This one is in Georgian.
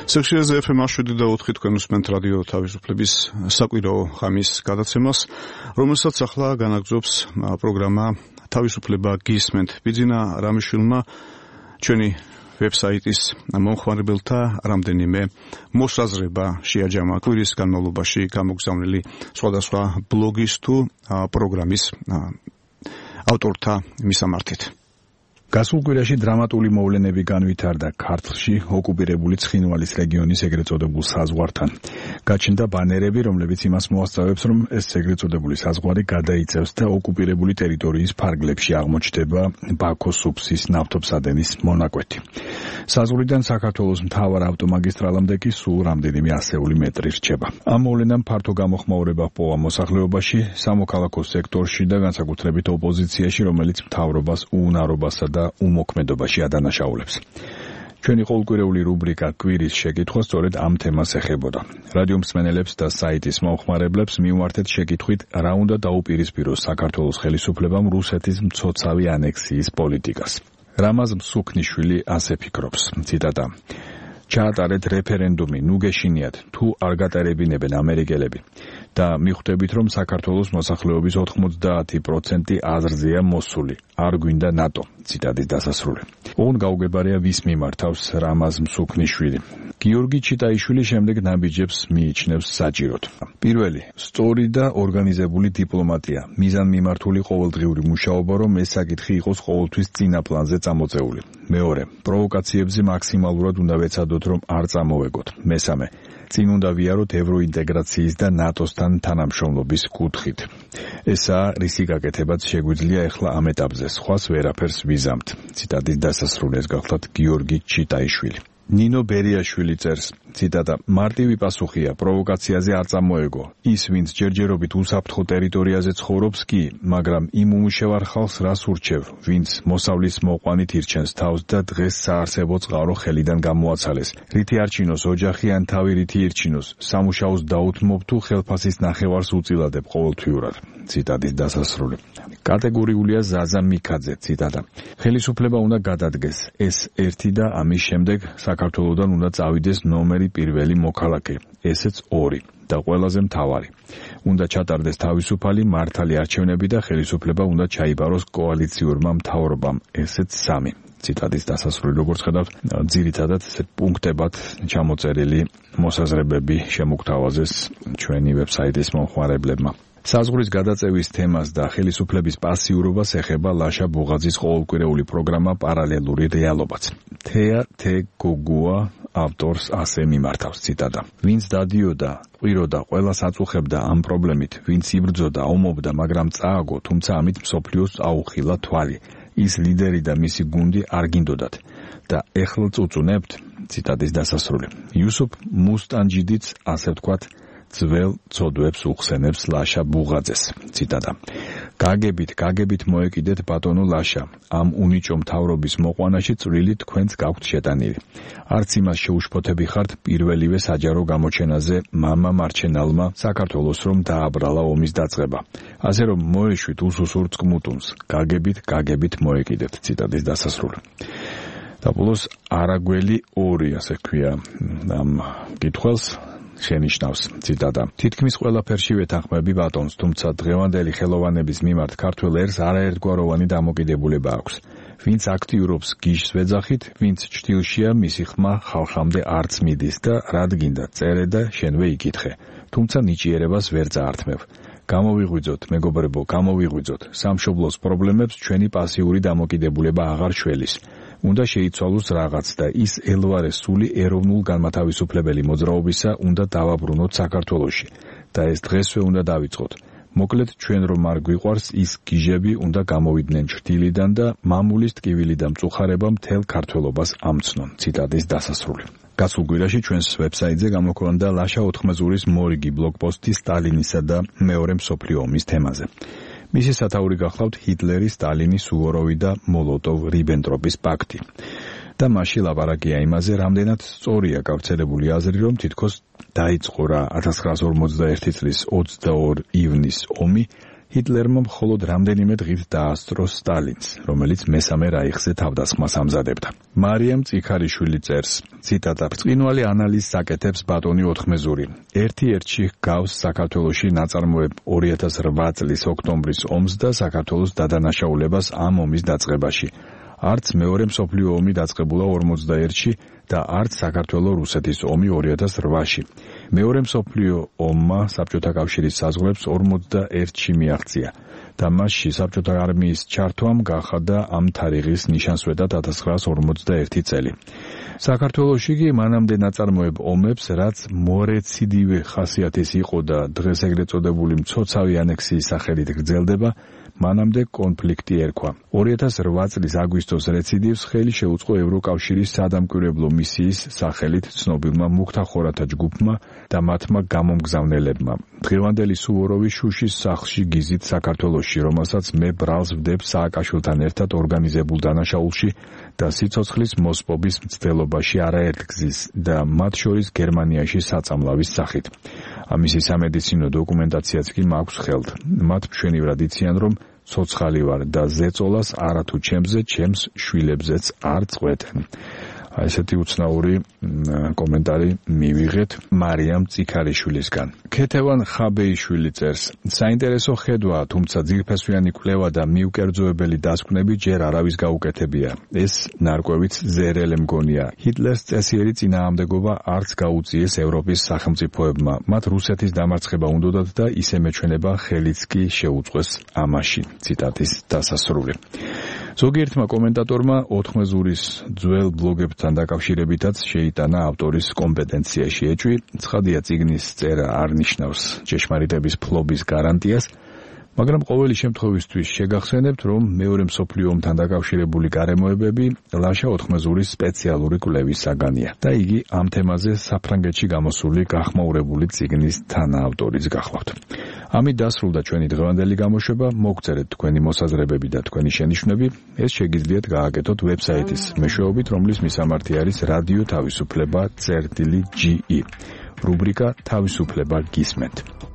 სექციაზე FM 7.4 თქვენ უსმენთ რადიო თავისუფლების საკვირაო ხამის გადაცემას, რომელსაც ახლა განაგრძობს პროგრამა თავისუფლება გისმენთ. ბიძინა რამიშვილმა ჩვენი ვებსაიტის მომხმარებელთა რამდენიმე მოსაზრება შეაჯამა კვირის განმავლობაში გამოგზავნილი სხვადასხვა ბლოგის თუ პროგრამის ავტორთა მისამართით. გასულ კვირაში დრამატული მოვლენები განვითარდა ქართლში ოკუპირებული ცხინვალის რეგიონის ეგრეთ წოდებულ საზღვართან. გაჩნდა ბანერები, რომლებიც იმას მოასწავებს, რომ ეს ეგრეთ წოდებული საზღვარი გადაიწევს და ოკუპირებული ტერიტორიის ფარგლებში აღმოჩნდება ბაქოს უბსის ნავთობსადენის მონაკვეთი. საზღვრიდან საქართველოს მთავარ ავტომაგისტრალამდე კი სულ რამდენიმე ასეული მეტრი რჩება. ამ მოვლენამ ფართო გამოხმაურება ჰპოვა მოსახლეობაში, სამოქალაქო სექტორში და განსაკუთრებით ოპოზიციაში, რომელიც მთავრობას უუნარობასა და უმოქმედობაში ადანაშაულებს. ჩვენი ყოველკვირეული რუბრიკა კვირის შეკითხვა სწორედ ამ თემას ეხებოდა. რადიო მსმენელებს და საიტის მომხმარებლებს მივმართეთ შეკითხვით, რა უნდა დაუპირისპიროს საქართველოს ხელისუფლებამ რუსეთის მცოცავი ანექსიის პოლიტიკას. რამაზ მსუქნიშვილი ასე ფიქრობს, ციტატა: ჩაატარეთ რეფერენდუმი, ნუ გეშინიათ, თუ არ გატარებინებენ ამერიკელები და მიხვდებით, რომ საქართველოს მოსახლეობის 90% აზრზეა მოსული, არ გვინდა ნატო. ციტატის დასასრული. ოღონდ გაუგებარია ვის მიმართავს რამაზ მსუქნიშვილი. გიორგი ჩიტაიშვილი შემდეგ ნაბიჯებს მიიჩნევს საჭიროდ. პირველი, სწორი და ორგანიზებული დიპლომატია, მიზანმიმართული ყოველდღიური მუშაობა, რომ ეს საკითხი იყოს ყოველთვის წინა პლანზე წამოწეული. მეორე, პროვოკაციებზე მაქსიმალურად უნდა ვეცადოთ, რომ არ წამოვეგოთ. მესამე, წინ უნდა ვიაროთ ევროინტეგრაციის და ნატოსთან თანამშრომლობის კუთხით. ესაა რისი გაკეთებაც შეგვიძლია ეხლა ამ ეტაპზე, სხვას ვერაფერს ვიზამთ. ციტატის დასასრული. ეს გახლავთ გიორგი ჩიტაიშვილი. ნინო ბერიაშვილი წერს, ციტატა: მარტივი პასუხია, პროვოკაციაზე არ წამოეგო. ის, ვინც ჯერჯერობით უსაფრთხო ტერიტორიაზე ცხოვრობს კი, მაგრამ იმ უმუშევარ ხალხს რას ურჩევ, ვინც მოსავლის მოყვანით ირჩენს თავს და დღეს საარსებო წყარო ხელიდან გამოაცალეს. რითი არჩინოს ოჯახი ან თავი რითი ირჩინოს, სამუშაოს დაუთმობ თუ ხელფასის ნახევარს უწილადებ ყოველთვიურად. ციტატის დასასრული. კატეგორიულია ზაზა მიქაძე, ციტატა: ხელისუფლება უნდა გადადგეს ეს ერთი და ამის შემდეგ საქართველოსდან უნდა წავიდეს ნომერი პირველი მოქალაქე, ესეც 2 და ყველაზე მთავარი. უნდა ჩატარდეს თავისუფალი მართალი არჩევნები და ხელისუფლება უნდა ჩაიბაროს კოალიციურმა მთავრობამ, ესეც 3. ციტატის დასასრული. როგორც ხედავთ, ძირითადად პუნქტებად ჩამოწერილი მოსაზრებები შემოგთავაზეს ჩვენი ვებსაიტის მომხმარებლებმა. საზღვრის გადაწევის თემას და ხელისუფლების პასიურობას ეხება ლაშა ბუღაძის ყოველკვირეული პროგრამა პარალელური რეალობაც. თეა თეგოგუა ავტორს ასე მიმართავს, ციტატა: ვინც დადიოდა, ყვიროდა, ყველას აწუხებდა ამ პრობლემით, ვინც იბრძოდა, ომობდა, მაგრამ წააგო, თუმცა ამით მსოფლიოს აუხილა თვალი. ის ლიდერი და მისი გუნდი არ გინდოდათ და ეხლა წუწუნებთ. ციტატის დასასრული. იუსუფ მუსტანჯიდიც ასე ვთქვათ ძველ ცოდვებს უხსენებს ლაშა ბუღაძეს. ციტატა: გაგებით მოეკიდეთ ბატონო ლაშა, ამ უნიჭო მთავრობის მოყვანაში წვლილი თქვენც გაქვთ შეტანილი. არც იმას შეუშფოთები ხართ პირველივე საჯარო გამოჩენაზე მამა მარჩენალმა საქართველოს რომ დააბრალა ომის დაწყება. ასე რომ მოეშვით უსუსურ წყმუტუნს, გაგებით მოეკიდეთ. ციტატის დასასრული. და ბოლოს არაგველი 2 ასე ქვია ამ კითხვას შენიშნავს, ციტატა: თითქმის ყველაფერში ვეთანხმები ბატონს, თუმცა დღევანდელი ხელოვანების მიმართ ქართველ ერს არაერთგვაროვანი დამოკიდებულება აქვს. ვინც აქტიურობს გიშს ვეძახით, ვინც ჭრილშია მისი ხმა ხალხამდე არც მიდის და რად გინდა წერე და შენვე იკითხე. თუმცა ნიჭიერებას ვერ წაართმევ. გამოვიღვიძოთ, მეგობრებო, გამოვიღვიძოთ. სამშობლოს პრობლემებს ჩვენი პასიური დამოკიდებულება აღარ შველის. უნდა შეიცვალოს რაღაც და ის ელვარე სული ეროვნულ განმათავისუფლებელი მოძრაობისა უნდა დავაბრუნოთ საქართველოში და ეს დღესვე უნდა დავიწყოთ. მოკლედ ჩვენ რომ არ გვიყვარს ის გიჟები უნდა გამოვიდნენ ჭრილიდან და მამულის ტკივილი და მწუხარება მთელ ქართველობას ამცნონ. ციტატის დასასრული. გასულ კვირაში ჩვენს ვებსაიტზე გამოქვეყნდა ლაშა ოთხმეზურის მორიგი ბლოგპოსტი სტალინისა და მეორე მსოფლიო ომის თემაზე. მისი სათაური გახლავთ ჰიტლერი, სტალინი, სუვოროვი და მოლოტოვ-რიბენტროპის პაქტი. და მასში ლაპარაკია იმაზე, რამდენად სწორია გავრცელებული აზრი, რომ თითქოს დაიწყო რა 1941 წლის 22 ივნის ომი ჰიტლერმა მხოლოდ რამდენიმე დღით დაასწრო სტალინს, რომელიც მესამე რაიხზე თავდასხმას ამზადებდა. მარიამ წიქარიშვილი წერს, ციტატა: "ბრწყინვალე ანალიზს აკეთებს ბატონი ოთხმეზური. ერთ-ერთში გავს საქართველოში ნაწარმოებ 2008 წლის ოქტომბრის ომს და საქართველოს დადანაშაულებას ამ ომის დაწყებაში. არც მეორე მსოფლიო ომი დაწყებულა 41-ში და არც საქართველო-რუსეთის ომი 2008-ში. მეორე მსოფლიო ომმა საბჭოთა კავშირის საზღვრებს 41-ში მიაღწია და მასში საბჭოთა არმიის ჩართვამ გახადა ამ თარიღის ნიშანსვეტა 1941 წელი. საქართველოში კი მანამდე ნაწარმოებ ომებს, რაც მორეციდივე ხასიათის იყო და დღეს ეგრეთ წოდებული მცოცავი ანექსიის სახელით გრძელდება, მანამდე კონფლიქტი ერქვა. 2008 წლის აგვისტოს რეციდივს ხელი შეუწყო ევროკავშირის სადამკვირვებლო მისიის სახელით ცნობილმა მუქთახორათა ჯგუფმა და მათმა გამომგზავნელებმა. დღევანდელი სუვოროვი შუშის სახლში გიზით საქართველოში, რომელსაც მე ბრალს ვდებ სააკაშვილთან ერთად ორგანიზებულ დანაშაულში და სიცოცხლის მოსპობის მცდელობაში არაერთგზის და მათ შორის გერმანიაში საწამლავის სახით. ამისი სამედიცინო დოკუმენტაციაც კი მაქვს ხელთ. მათ მშვენივრად იციან, რომ ცოცხალი ვარ და ზეწოლას არათუ ჩემზე, ჩემს შვილებზეც არ წყვეტენ. ესეთი უცნაური კომენტარი მივიღეთ მარიამ წიქარიშვილისგან. ქეთევან ხაბეიშვილი წერს: საინტერესო ხედვა, თუმცა ძირფესვიანი კვლევა და მიუკერძოებელი დასკვნები ჯერ არავის გაუკეთებია. ეს ნარკვევიც ზერელე მგონია. ჰიტლერს წესიერი წინააღმდეგობა არც გაუწიეს ევროპის სახელმწიფოებმა. მათ რუსეთის დამარცხება უნდოდათ და ისე მეჩვენება ხელიც კი შეუწყვეს ამაში. ციტატის დასასრული. ზოგიერთმა კომენტატორმა ოთხმეზურის ძველ ბლოგებთან დაკავშირებითაც შეიტანა ავტორის კომპეტენციაში ეჭვი. ცხადია, წიგნის წერა არ ნიშნავს ჭეშმარიტების ფლობის გარანტიას, მაგრამ ყოველი შემთხვევისთვის შეგახსენებთ, რომ მეორე მსოფლიო ომთან დაკავშირებული გარემოებები ლაშა ოთხმეზურის სპეციალური კვლევის საგანია და იგი ამ თემაზე საფრანგეთში გამოსული გახმაურებული წიგნის თანაავტორიც გახლავთ. ამით დასრულდა ჩვენი დღევანდელი გამოშვება. მოგწერეთ თქვენი მოსაზრებები და თქვენი შენიშვნები. ეს შეგიძლიათ გააკეთოთ ვებსაიტის მეშვეობით, რომლის მისამართი არის რადიო თავისუფლება.ge. რუბრიკა თავისუფლება გისმენთ.